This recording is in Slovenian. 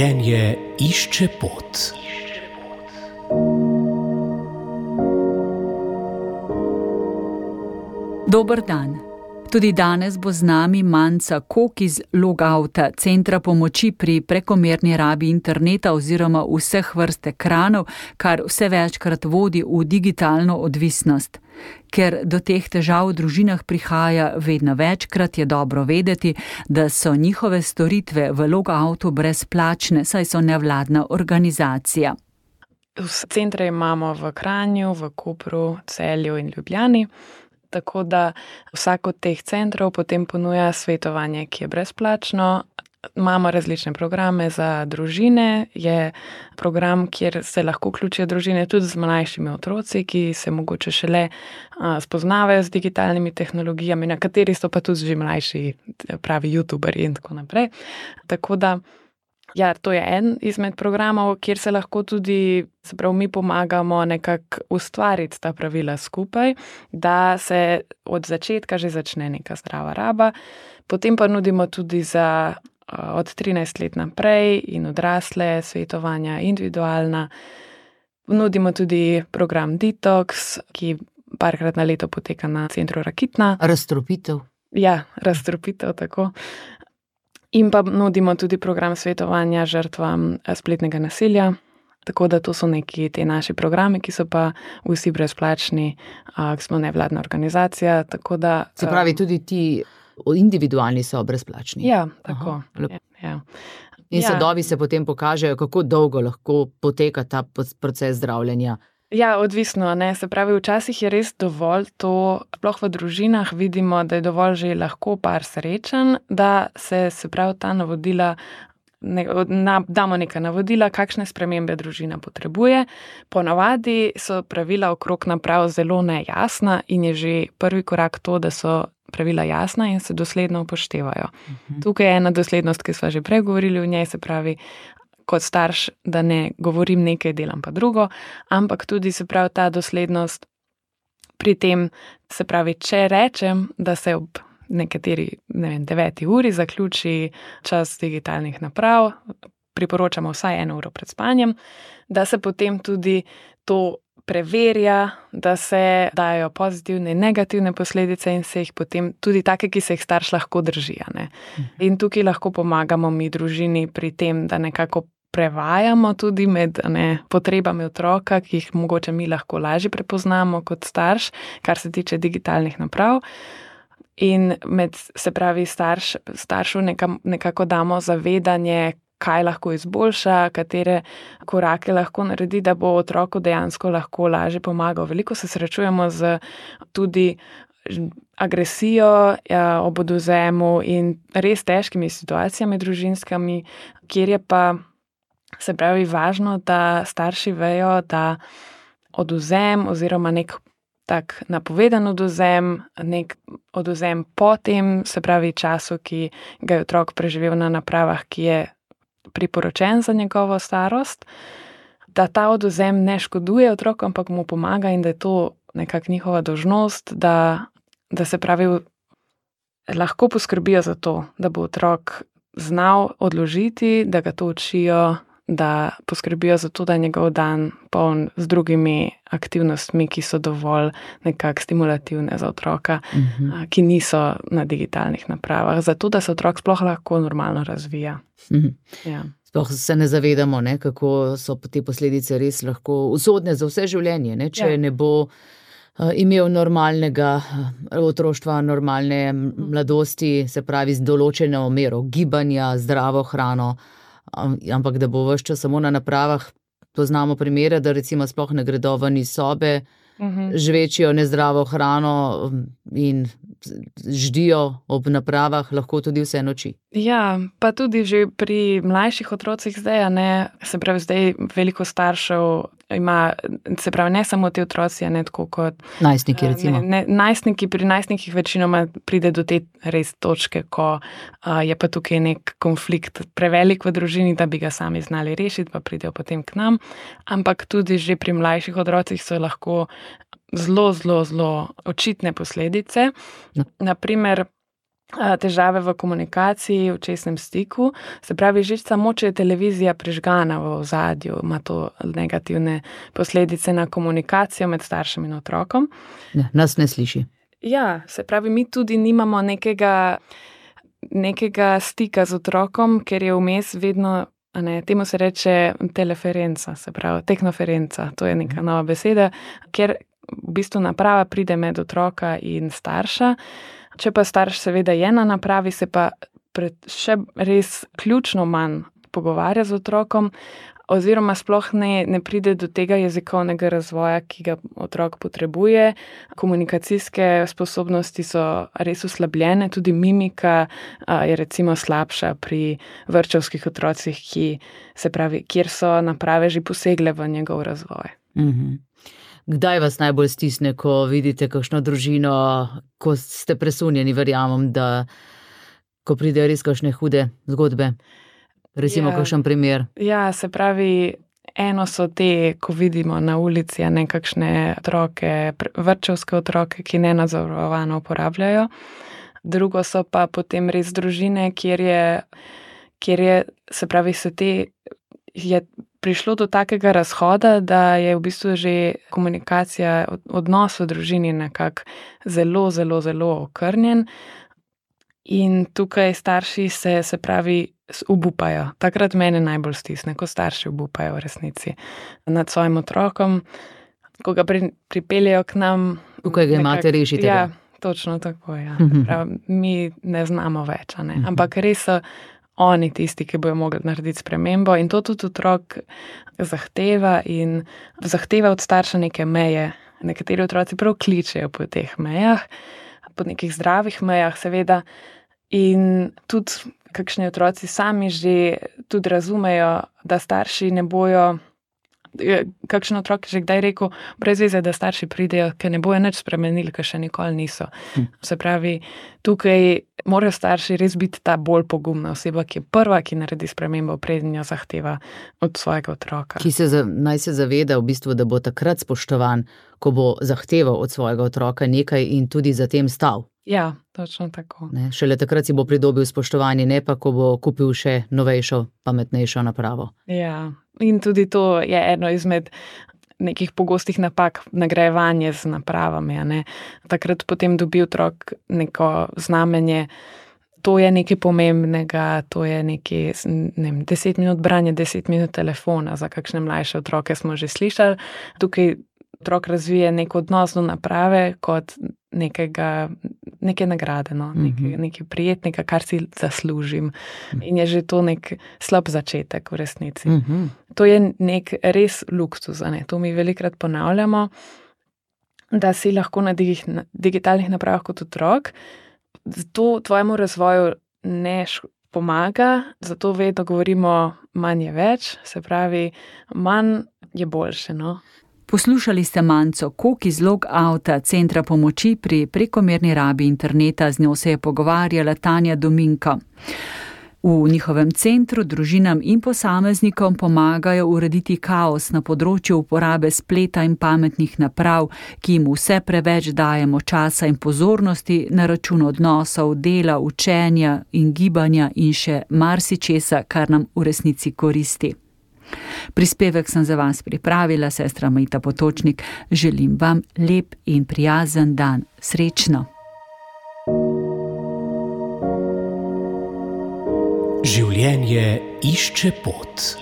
Življenje išče pot. Dober dan. Tudi danes bo z nami Manca Kok iz Logouta, centra pomoči pri prekomerni rabi interneta oziroma vseh vrst ekranov, kar vse večkrat vodi v digitalno odvisnost. Ker do teh težav v družinah prihaja vedno večkrat, je dobro vedeti, da so njihove storitve v Logoutu brezplačne, saj so nevladna organizacija. Centre imamo v Kranju, v Kopru, Celju in Ljubljani. Tako da vsak od teh centrov potem ponuja svetovanje, ki je brezplačno. Imamo različne programe za družine. Je program, kjer se lahko vključijo družine tudi z mlajšimi otroci, ki se mogoče šele spoznavajo z digitalnimi tehnologijami, na kateri so pa tudi že mlajši, pravi youtuberji in tako naprej. Tako da ja, to je en izmed programov, kjer se lahko tudi, mi pomagamo nekako ustvariti ta pravila skupaj, da se od začetka že začne neka zdrava raba. Potem pa nudimo tudi za od 13 let naprej in odrasle svetovanja individualna. Nudimo tudi program Detox, ki parkrat na leto poteka na centru Rakitna. Razstropitev. Ja, razstropitev, tako. In pa nudimo tudi program svetovanja žrtvam spletnega nasilja, tako da to so neki te naši programi, ki so pa vsi brezplačni, smo nevladna organizacija, tako da... Se pravi, tudi ti individualni so brezplačni? Ja, tako. Ja. In sadovi se potem pokažejo, kako dolgo lahko poteka ta proces zdravljenja? Ja, odvisno, ne. Se pravi, včasih je res dovolj to, sploh v družinah vidimo, da je dovolj že lahko par srečen, da se pravi ta navodila, damo neka navodila, kakšne spremembe družina potrebuje. Ponavadi so pravila okrog naprav zelo nejasna in je že prvi korak to, da so pravila jasna in se dosledno upoštevajo. Tukaj je ena doslednost, ki sva že prej govorili o njej, se pravi, kot starš, da ne govorim nekaj, delam pa drugo, ampak tudi se pravi ta doslednost pri tem, se pravi, če rečem, da se ob nekateri, 9 uri zaključi čas digitalnih naprav, priporočamo vsaj 1 uro pred spanjem, da se potem tudi to preverja, da se dajo pozitivne in negativne posledice in se jih potem tudi take, ki se jih starš lahko drži. In tukaj lahko pomagamo mi družini pri tem, da nekako prevajamo tudi med potrebami otroka, ki jih mogoče mi lahko lažje prepoznamo kot starš, kar se tiče digitalnih naprav. In se pravi staršu nekako damo zavedanje, kaj lahko izboljša, katere korake lahko naredi, da bo otroku dejansko lahko lažje pomagal. Veliko se srečujemo z tudi agresijo ob odvzemu in res težkimi situacijami družinskimi, kjer je pa, se pravi, važno, da starši vejo, da odvzem oziroma nek tak napovedan odvzem, nek odvzem po tem, se pravi času, ki ga je otrok preživel na napravah, ki je priporočen za njegovo starost, da ta odvzem ne škoduje otroku, ampak mu pomaga in da je to nekako njihova dolžnost, da se pravi, lahko poskrbijo za to, da bo otrok znal odložiti, da ga to učijo, da poskrbijo za to, da je njegov dan poln z drugimi aktivnostmi, ki so dovolj nekako stimulativne za otroka, ki niso na digitalnih napravah, zato da se otrok sploh lahko normalno razvija. Ja. Sploh se ne zavedamo, kako so te posledice res lahko usodne za vse življenje. Če ne bo imel normalnega otroštva, normalne mladosti, se pravi z določeno mero gibanja, zdravo hrano, ampak da bo ves čas samo na napravah. Poznamo primere, da recimo sploh ne gredo ven iz sobe, žvečijo nezdravo hrano in ždijo ob napravah lahko tudi vse noči. Ja, pa tudi že pri mlajših otrocih zdaj, se pravi zdaj veliko staršev ima, se pravi ne samo te otroci, tako kot najstniki recimo. Pri najstnikih večinoma pride do te res točke, ko je pa tukaj nek konflikt prevelik v družini, da bi ga sami znali rešiti, pa pridejo potem k nam, ampak tudi že pri mlajših otrocih so lahko zelo, zelo, zelo očitne posledice. Naprimer, težave v komunikaciji, v očesnem stiku. Se pravi, že samo, če je televizija prižgana v ozadju, ima to negativne posledice na komunikacijo med staršem in otrokom. Ne, nas ne sliši. Ja, se pravi, mi tudi nimamo nekega stika z otrokom, ker je vmes vedno, temu se reče teleferenca, se pravi tehnoferenca, to je neka nova beseda, ker v bistvu naprava pride med otroka in starša. Če pa starš seveda je na napravi, se pa še res ključno manj pogovarja z otrokom, oziroma sploh ne pride do tega jezikovnega razvoja, ki ga otrok potrebuje. Komunikacijske sposobnosti so res oslabljene, tudi mimika je recimo slabša pri vrtčevskih otrocih, kjer so naprave že posegle v njegov razvoj. Kdaj vas najbolj stisne, ko vidite kakšno družino, ko ste presunjeni, verjamem, da ko pridejo res kakšne hude zgodbe? Recimo kakšen primer. Ja, se pravi, eno so te, ko vidimo na ulici nekakšne otroke, vrtčevske otroke, ki nenadzorovano uporabljajo. Drugo so pa potem res družine, kjer je, se pravi, je prišlo do takega razhoda, da je v bistvu že komunikacija, odnos v družini nekako zelo, zelo, zelo okrnjen. In tukaj starši se pravi, obupajo. Takrat mene najbolj stisne, ko starši obupajo v resnici nad svojim otrokom, ko ga pripeljejo k nam. Tukaj ga imate, rešite ga. Ja, točno tako, ja. Prav, mi ne znamo več, ampak res so oni tisti, ki bojo mogli narediti spremembo, in to tudi otrok zahteva in zahteva od starša neke meje. Nekateri otroci prav kličejo po teh mejah, po nekih zdravih mejah, seveda, in tudi kakšni otroci sami že tudi razumejo, da starši ne bojo, kakšen otrok je že kdaj rekel, brez veze, da starši pridejo, ker ne bojo nič spremenili, ker še nikoli niso. Se pravi, tukaj morajo starši res biti ta bolj pogumna oseba, ki je prva, ki naredi spremembo, preden jo zahteva od svojega otroka. Naj se zaveda v bistvu, da bo takrat spoštovan, ko bo zahteval od svojega otroka nekaj in tudi za tem stal. Ja, točno tako. Šele takrat si bo pridobil spoštovanje, ne pa, ko bo kupil še novejšo, pametnejšo napravo. Ja, in tudi to je eno izmed nekih pogostih napak, nagrajevanje z napravami. Takrat potem dobi otrok neko znamenje, to je nekaj pomembnega, to je nekaj, 10 minut branja, 10 minut telefona, za kakšne mlajše otroke smo že slišali. Tukaj otrok razvije nek odnos do naprave kot neke nagrade, nekaj prijetnega, kar si zaslužim. In je že to nek slab začetek v resnici. To je nek res luksuz, to mi velikrat ponavljamo, da si lahko na digitalnih napravah kot otrok. To tvojemu razvoju ne pomaga, zato vedno govorimo, manj je več, se pravi, manj je boljše, Poslušali ste Manco Kok iz Logouta, centra pomoči pri prekomerni rabi interneta, z njo se je pogovarjala Tanja Dominko. V njihovem centru družinam in posameznikom pomagajo urediti kaos na področju uporabe spleta in pametnih naprav, ki jim vse preveč dajemo časa in pozornosti na račun odnosov, dela, učenja in gibanja in še marsičesa, kar nam v resnici koristi. Prispevek sem za vas pripravila, sestra Mejta Potočnik. Želim vam lep in prijazen dan. Srečno! Življenje išče pot.